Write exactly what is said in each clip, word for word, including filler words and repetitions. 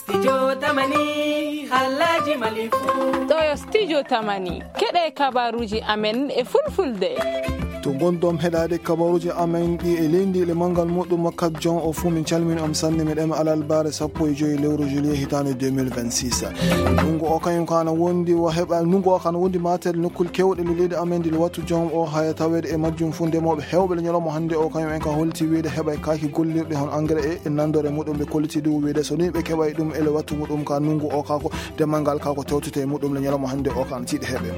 Studio Tamani, halaji malifu. Ɗo yo Studio Tamani, keɗe kabaruji amen e fulfulde. To ngonɗon heɗaade kabaruji amen ɗi e leydi e manngal muɗum, makkat jon o fuu, min calmini on sanne, miɗen alal bare sappo e joyi lewru juillet hitaande deux mille vingt-six. Ndunngu o kañum ko ana wondi o heɓa, ndunngu o ko ana wondi matel nokkul kewɗe le leydi amen ndi le wattu jon o, haya taweede e majjum fuu ndemooɓe heewɓe le ñalawma hannde o kañum en ka holti wiide heɓay kaaki gollirɗi hon engrais e, e nanndore muɗum ɓe kolliti ɗum wiide so ni ɓe keɓay ɗum e le wattu muɗum ka ndunngu o ka ko demal ngal ka ko tewtete e muɗum le ñalawma hannde o ka ana tiiɗi heɓe.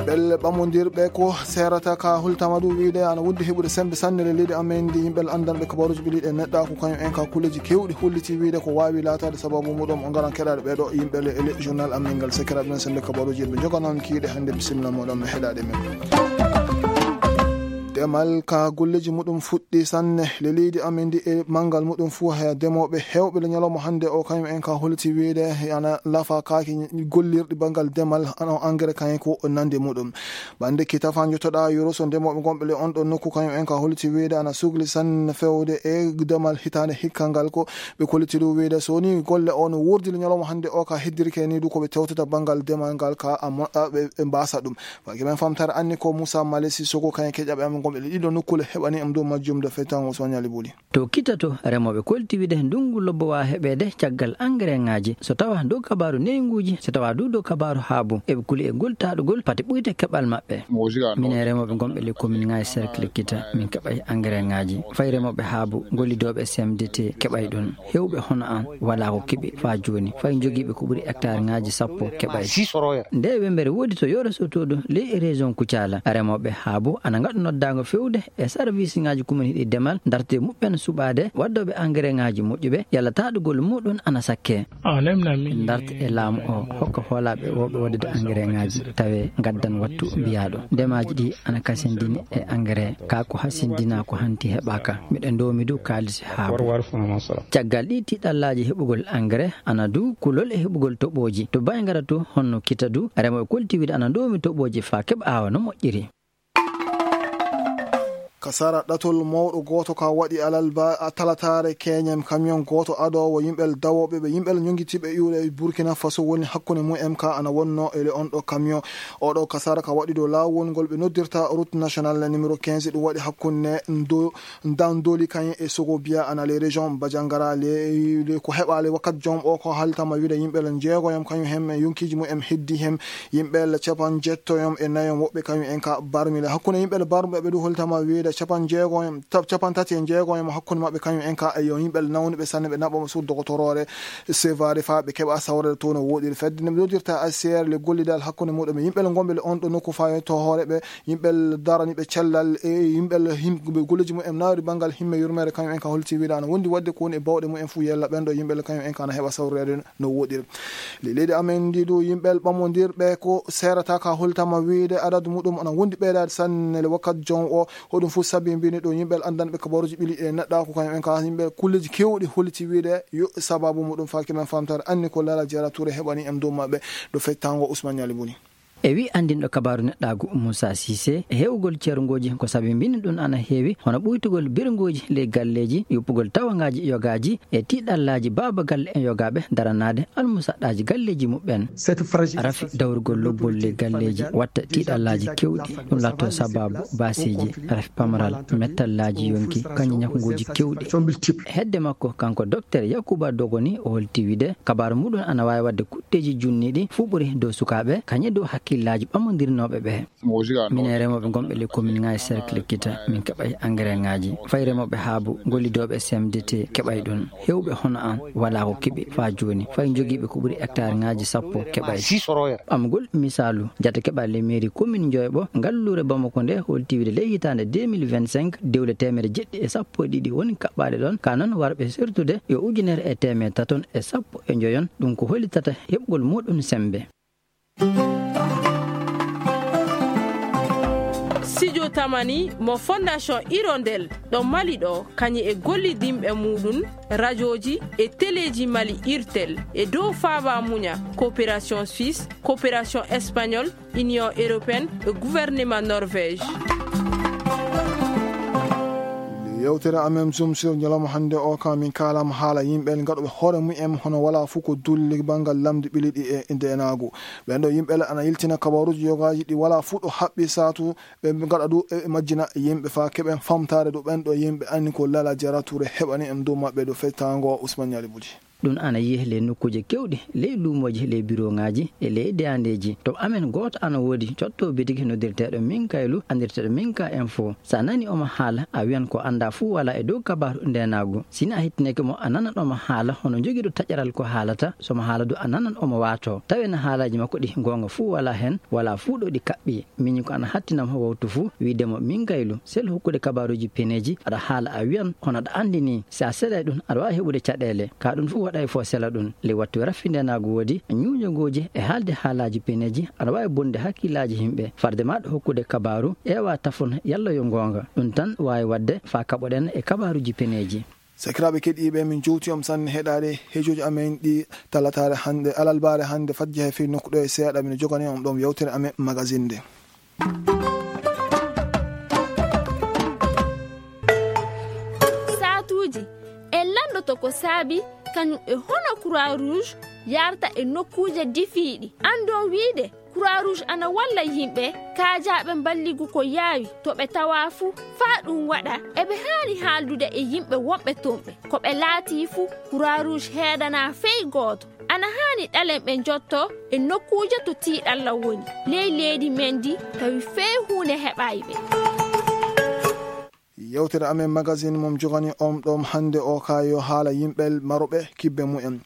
Ɓelle ɓamondirɓe ko seerata ka hultama ɗum wiide ana wondi heɓude sembe sanne le leydi amen ndi yimɓe anndanɓe kabaruji ɓe liɗe neɗɗa ko kañum en ka kulleji kewɗi holliti wiide ko waawi laataade sababu muɗum o ngaran keɗaade ɓeɗo yimɓe le, le journal amen ngal sekiraɓe men sembe kabaruji ɓe joganon kiiɗe hannde bisimilla muɗum e heɗaade men. Demal ka golleji muɗum fuɗɗi sanne le leydi amen ndi e manngal muɗum fuu haya demooɓe heewɓe le ñalawma hannde o kañum en ka holti wiide ana lafa kaaki gollirɗi banngal demal ano engrais kañum ko nande muɗum. Bannde ki tafa jotoɗa yoro so ndemooɓe gonɓe le on ɗon nokku kañum en ka holti wiide ana sugli sanne fewde e demal hitaande hikka ngal ko ɓe kolliti ɗum wiide so ni golle o no wurdi le ñalawma hannde o ka heddirke ni du ko ɓe tewtata banngal demal ngal ka a moɗɗa ɓe, ɓe mbasa ɗum. Faki men famtare anni ko Moussa Malesi Sogo kañum keƴaɓe amen gonɓe le ɗiɗo nokkule heɓani am dow majjum de fettango Ousmane Ali Buli. To kita to, remooɓe kolti wiide ndunngu lobbo waa heɓeede caggal engrais ŋaaji. So tawa dow kabaaru neynguuji, so tawa du dow kabaaru haabu, eɓe kuli e ngol taɗugol pati ɓuyte keɓal maɓɓe. Minen remooɓe gonɓe le commune ŋaaji cercle kita, min keɓay engrais ŋaaji. Fay remooɓe haabu, gollidooɓe C M D T keɓay ɗum. Heewɓe hono an walaa ko keɓi faa jooni. Fay jogiiɓe ko ɓuri hectare ŋaaji sappo keɓay. Nde wembere woodi to Yoro Soto du ley région Kucala. Remooɓe haabu ana ngaɗa noddaango fewde e sarwisiŋaaji kumin hiɗi demal, dartee muɓɓen suɓaade waddooɓe engrais ŋaaji moƴƴuɓe, yalla taɗugol muɗum ana sakkee. Min darta e laamu o, hokka hoolaaɓe wooɓe waɗude engrais ŋaaji, tawee ngaddan wattu mbiyaaɗo. Ndemaaji ɗi ana kasindini e engrais, kaa ko hasindinaa ko hanti heɓaaka. Miɗo ndoomi du kaalisi haabu. Caggal ɗi tiiɗallaaji heɓugol engrais, ana du kulol e heɓugol toɓooji. To Baygara to, honno kita du, remooɓe kolti wiide ana ndoomi toɓooji faa keɓa aawa no moƴƴiri. Ka sara ɗatol mawɗo gooto ka waɗi alalba a talataare keñen camion gooto adoowo yimɓe dawooɓe ɓe yimɓe ñongitiiɓe iwde e Burkina Faso woni hakkunde mum en ka ana wonno e le on ɗo camion. Oɗo ka sara ka waɗi dow laawol ngol ɓe noddirta route nationale numéro quinze ɗum waɗi hakkunde ndo Ndandoli kañum e Sogo Biya ana les régions Bajangara le, le ko heɓaali wakkat jom o ko halitama wiide yimɓe le jeegoyam kañum hem yonkiji mum en heddi hem yimɓe le capan jettoyam e nayam woɓɓe kañum en ka barmile hakkunde yimɓe le barmɓe ɓe du holitama wiide capan jeegoyam tab capan tati e jeegoyam hakkunde maɓɓe kañum en ka e yo yimɓe le nawniɓe sanne ɓe naɓɓama sur dogotoroore sevare fa ɓe keɓa sawrede to no woɗiri fedde nde ɓe noddirta A C R le gollidal hakkunde muɗum yimɓe le gomɓe le on ɗo nokku fa to hoore ɓe yimɓe daraniiɓe cellal e yimɓe him- ɓe golleeji mum en nawri banngal himme yurmeere kañum en ka holti wiide ana wondi waɗde ko woni e bawɗe mum en fuu yella ɓen ɗo yimɓe kañum en ka ana heɓa sawreede no woɗiri. Le leydi amen ndi ɗo yimɓe ɓamondirɓe ko seerata ka holtama wiide adadu muɗum ana wondi ɓeydaade sanne le wakkat jon o hoɗum fuu sabi mbini ɗo yimɓe anndanɓe kabaruji ɓili e neɗɗa ko kañum en ka yimɓe kulleeji kewɗi holiti wiide yo sababu muɗum faaki men famtare anni ko lala jara toure heɓani en dow maɓɓe ɗo fettango Ousmane Ñali Buni. E wi anndinɗo kabaaru neɗɗaagu Moussa Cissé, e heewgol ceerngooji ko sabi mbinndi ɗum ana heewi, hono ɓuytugol birngooji ley galleeji, yuppugol tawangaaji yogaaji e tiiɗallaaji baaba galle e yogaaɓe daranaade almusaɗɗaaji galleeji muɓɓen. Rafi dawrugol lobbol ley galleeji watta tiiɗallaaji kewɗi, ɗum laatto sababu baaseeji, rafi pamaral, mettallaaji yonki, kañum ñakngooji kewɗi. Hedde makko, kanko Doktor Yakuba Dogoni, o holti wiide kabaaru muɗum ana waawi waɗde kutteeji junniiɗi fuɓɓori dow sukaaɓe, kañum e dow hakkillaaji ɓamondirnooɓe ɓe. Minen remooɓe gonɓe ley commune ŋaaji cercle Kita, min keɓay engrais ŋaaji. Fay remooɓe haabu, gollidooɓe C M D T keɓay ɗum. Heewɓe hono an walaa ko keɓi faa jooni. Fay jogiiɓe ko ɓuri hectare ŋaaji sappo keɓay. Ɓamgol misaalu, jate keɓal ley mairie commune Njoyɓo, ngalluure Bamako nde holti wiide ley hitaande deux mille vingt-cinq, dewle teemedde jeɗɗi e sappo e ɗiɗi woni kaɓɓaaɗe ɗon. Ka non warɓe sertude yo ujunere e teemedde taton e sappo e njoyon, ɗum ko hollitata heɓgol muɗum sembe. Studio Tamani mo Fondation Hirondelle ɗo Mali ɗo, kañum e gollidinɓe muɗum, rajooji e teleeji Mali Irtel e dow faaba muña, coopération suisse, coopération espagnole, Union européenne e gouvernement Norvège. Yewtere amen Zoom sur ñalawma hannde o ka min kaalama haala yimɓe gaɗoɓe hoore mumen hono wala fof ko dulli banngal lamdi ɓiliɗi e ndeenaagu. Ɓen ɗo yimɓe ana yiltina kabaruuji yogaaji ɗi wala fof ɗo haɓɓi saatu ɓe gaɗa ɗu e majjina yimɓe fa keɓen famtaare ɗo ɓen ɗo yimɓe anni ko lala jarature heɓani en dow maɓɓe ɗo fettaango Ousmane Ñaali Buli. Ɗum ana yiye ley nokkuuje kewɗi, ley luumooji, ley birooŋaaji e ley deyandeeji. To amen gooto ana woodi cotto bitiki noddirteeɗo Minkaylu, anndirteeɗo Minka Info. So a nani omo haala, a wiyan ko anndaa fuu walaa e dow kabaaru ndeenaagu. Si ni a hettineke mo, a nanan omo haala hono jogiiɗo taƴaral ko haalata. So mo haala du, a nanan omo waato. Tawi na haalaaji makko ɗi goonga fuu walaa hen, walaa fuu ɗo ɗi kaɓɓi. Miñi ko ana hattinam wawtu fuu, wiide mo Minkaylu, sel hokkude kabaaruuji peneeji, aɗa haala a wiyan, kono aɗa anndi ni, si a selay ɗum, aɗa waawi heɓude caɗeele. Ka ɗum fuu waɗay fo sela ɗum. Ley wattu raffindenaagu woodi, ñuuño gooji e haalde haalaaji peneeji, aɗa waawi bonde hakkillaaji yimɓe. Farde ma ɗo hokkude kabaaru, ƴeewa tafon yalla yo goonga. Ɗum tan waawi waɗde faa kaɓoɗen e kabaaruuji peneeji. Sakiraaɓe keɗiiɓe, min jowti on sanne heɗaade hejooji amen ɗi talataare hannde, alalbaare hannde, fajja he fii nokku ɗo e seeɗa, min jogani on ɗoon yewtere amen magazine nde. Saatuuji, en lanndoto ko saabi kañum e hono Croix Rouge yarta e nokkuuje difiiɗi. Anndon wiide, Croix Rouge ana walla yimɓe kaajaaɓe mballigu ko yaawi to ɓe tawaa fuu. Faa ɗum waɗa, eɓe haani haaldude e yimɓe wonɓe toon ɓe. Ko ɓe laatii fuu, Croix Rouge heedanaa fey gooto. Ana haani ɗalen ɓe njotto e nokkuuje to tiiɗalla woni. Ley leydi men ndi, tawi fey huunde heɓaay ɓe. Yewtere amen magazine mom jogani on ɗoon hannde o ka yo haala yimɓe maroɓe kibbe mumen.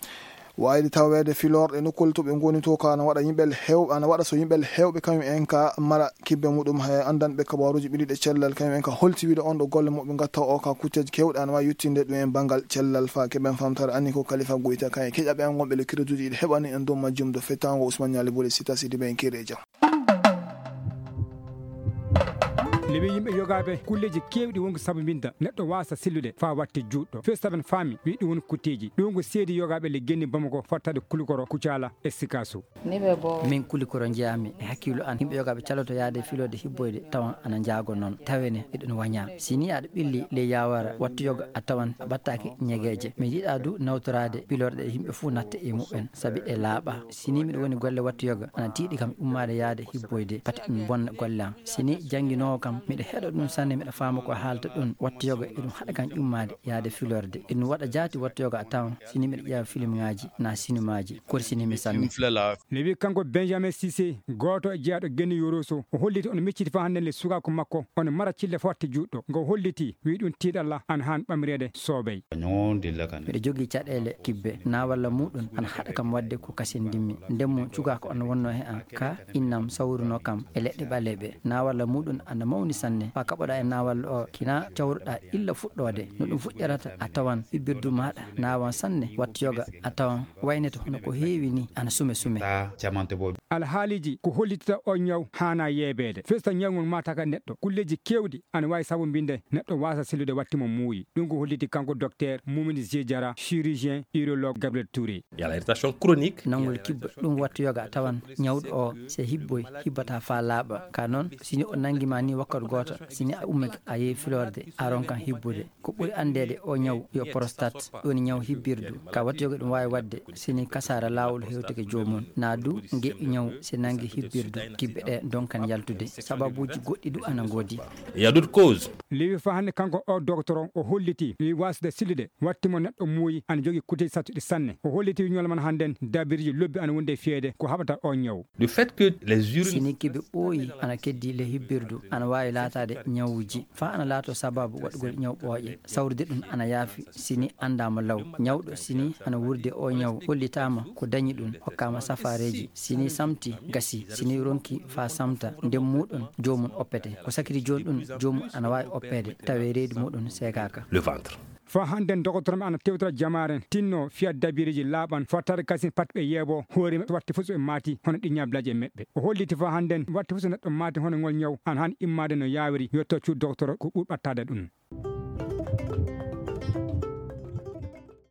Waayde taweede filorɗe nokkuule to ɓe ngoni to ka ana waɗa yimɓe heewɓe, ana waɗa so yimɓe heewɓe kañum en ka mara kibbe muɗum. He anndanɓe kabaaruuji ɓiliɗe cellal kañum en ka holti wiide on ɗo golle muɓe ngatta o ka kutteeji kewɗe ana waawi yettinde ɗum en banngal cellal fa keɓen famtare anni ko Kalifa Goyta kañum e keƴaɓe an wonɓe le kiretuuji ɗi heɓani en dow majjum do fettaango Ousmane Ñaali Bole Sita Sidi ɓe en kere e jam. Nde wi yimɓe yogaaɓe kulleeji keewɗi wonko sabu mbinda neɗɗo waasa sellude faa watte juutɗo. Fees taben faami wi ɗum woni kutteeji. Ɗum ko seedi yogaaɓe le genni Bamako fottaade Kulikoro, Kucala e Sikaso. Min Kulikoro njeyaami e hakkillo an yimɓe yogaaɓe caloto yaade filoode hibboyde tawan ana njaago noon tawene eɗen wañaa. Si ni aɗa ɓilli ley yaawara wattu yoga a tawan a ɓattaaki ñegeeje. Mi yiɗaa du nawtoraade pilorɗe yimɓe fuu natta e muɓɓen sabi ɗe laaɓa. Si ni miɗo woni golle wattu yoga ana tiiɗi kam ummaade yaade hibboyde pati ɗum bonna golle am. Si ni jannginoowo kam miɗo heɗo ɗum sanne miɗo faama ko haalta ɗum wattu yoga eɗum haɗa kam ummaade yaade filorde. Eɗum waɗa jaati wattu yoga a tawan si ni miɗo ƴeewa filmŋaaji na sinimaaji korsini mi sanne. Ne wi kanko Benjamin Cissé, gooto e jeyaaɗo Geni Yoroso, o holliti on micciti faa hannde le sukaaku makko on mara cille fotte juutɗo. Ngo holliti wi ɗum tiiɗalla an haan ɓamreede soobey. Miɗo jogii caɗeele kibbe, na walla muuɗum ana haɗa kam waɗde ko kasin ndimmi. Ndemmo cukaaku on wonno he an, ka innam sawruno kam e leɗɗe ɓaleeɓe. Na walla muuɗum ana mawni sanne, faa kaɓoɗaa e na walla o kina cawruɗaa illa fuɗɗoode. No ɗum fuɗɗirata, a tawan hibbirdu maaɗa naawan sanne, wattu yoga a tawan waynete hono ko heewi ni ana sume sume. Alhaaliiji ko hollitata o ñaw haana yeebeede. Festa ñawngol maataka neɗɗo. Kulleeji keewɗi ana waawi sabu mbinde neɗɗo waasa sellude watti mo muuyi. Ɗum ko holliti kanko docteur Moumini Zedjara, chirurgien urologue Gabriel Touré. Il y a la rétention chronique. Nanngol kibba ɗum wattu yoga a tawan ñawɗo o se hibboy hibbata faa laaɓa. Ka noon, si ni o nanngi ma ni wakkati gooto, si ni a ummike a yehi filorde, a ronkan hibbude. Ko ɓuri anndeede o ñaw yo prostate, ɗum woni ñaw hibbirdu. Ka wattu yoga ɗum waawi waɗde si ni kasaara laawol hewtike joomum. Na du ngeƴƴu ñaw si nanngi hibbirdu, kibbe ɗe donkan yaltude. Sababuuji goɗɗi du ana ngoodi. Il y a d'autres causes. Lewi fa hannde kanko o docteur o holliti wi waasde sillude watti mo neɗɗo muuyi ana jogii kuteeji sattuɗi sanne. O holliti wi ñola man hannden dabiriji lobbi ana wonde e fiyeede ko haɓata o ñaw. Le fait que les urines. Si ni kibe ɓooyi ana keddi le hibbirdu ana waawi laataade ñawuji faa ana laato sababu waɗugol ñaw ɓooƴe. Sawrude ɗum ana yaafi si ni anndaama law. Ñawɗo si ni ana wuurde o ñaw hollitaama ko dañi ɗum hokkaama safaareeji. Si ni samti gasi, si ni ronki faa samta ndem muuɗum joomum oppete. Ko sakiti jooni ɗum joomum ana waawi oppeede tawee reedu muuɗum seekaaka. Le ventre. Faa hannden dokotoro men ana tewtora jamaaren tinno fiya dabireeji laaɓan fattaade kasin pat ɓe yeebo hoore maɓɓe watti fof so ɓe maati hono ɗi ñaablaaji e meɓɓe. O holliti faa hannden watti fof so neɗɗo maati hono ngol ñaw ana haani immaade no yaawiri yotto cuuɗi dokotoro ko ɓuri ɓattaade ɗum.